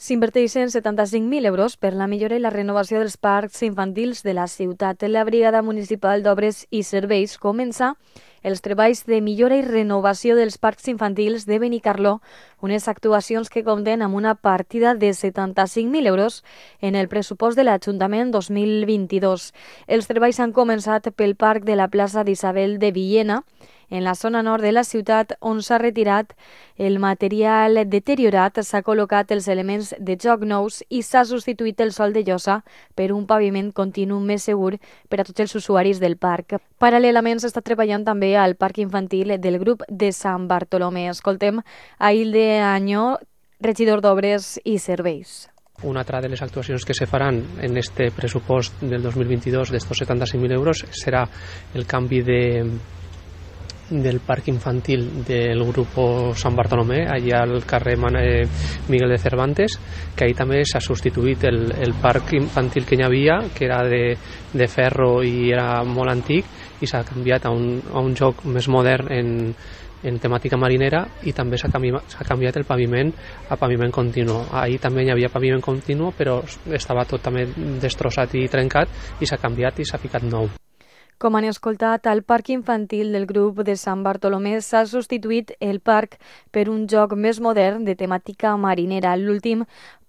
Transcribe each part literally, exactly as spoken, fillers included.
S'inverteixen setanta-cinc mil euros per la millora i la renovació dels parcs infantils de la ciutat. La Brigada Municipal d'Obres i Serveis comença els treballs de millora i renovació dels parcs infantils de Benicarló, unes actuacions que compten amb una partida de setanta-cinc mil euros en el pressupost de l'Ajuntament dos mil vint-i-dos. Els treballs han començat pel parc de la plaça d'Isabel de Villena, en la zona nord de la ciutat, on s'ha retirat el material deteriorat, s'ha col·locat els elements de joc nous i s'ha substituït el sòl de llosa per un paviment continu més segur per a tots els usuaris del parc. Paral·lelament s'està treballant també al parc infantil del grup de Sant Bartolomé. Escoltem a Hilde Añó, regidor d'Obres i Serveis. Una altra de les actuacions que se faran en este pressupost del dos mil vint-i-dos d'estos setanta-cinc mil euros serà el canvi de del parc infantil del grupo San Bartolomé, allà al carrer Miguel de Cervantes, que ahí també s'ha substituït el, el parc infantil que hi havia, que era de, de ferro i era molt antic, i s'ha canviat a un, a un joc més modern en, en temàtica marinera, i també s'ha canviat, s'ha canviat el paviment a paviment continu. Ahir també hi havia paviment continu, però estava tot també destrossat i trencat, i s'ha canviat i s'ha ficat nou. Com han escoltat, al parc infantil del grup de Sant Bartolomé s'ha substituït el parc per un joc més modern de temàtica marinera. L'últim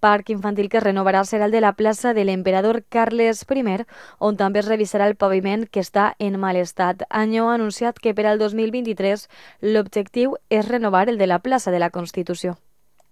parc infantil que es renovarà serà el de la plaça de l'Emperador Carles I, on també es revisarà el paviment, que està en mal estat. Añó ha anunciat que per al dos mil vint-i-tres l'objectiu és renovar el de la plaça de la Constitució.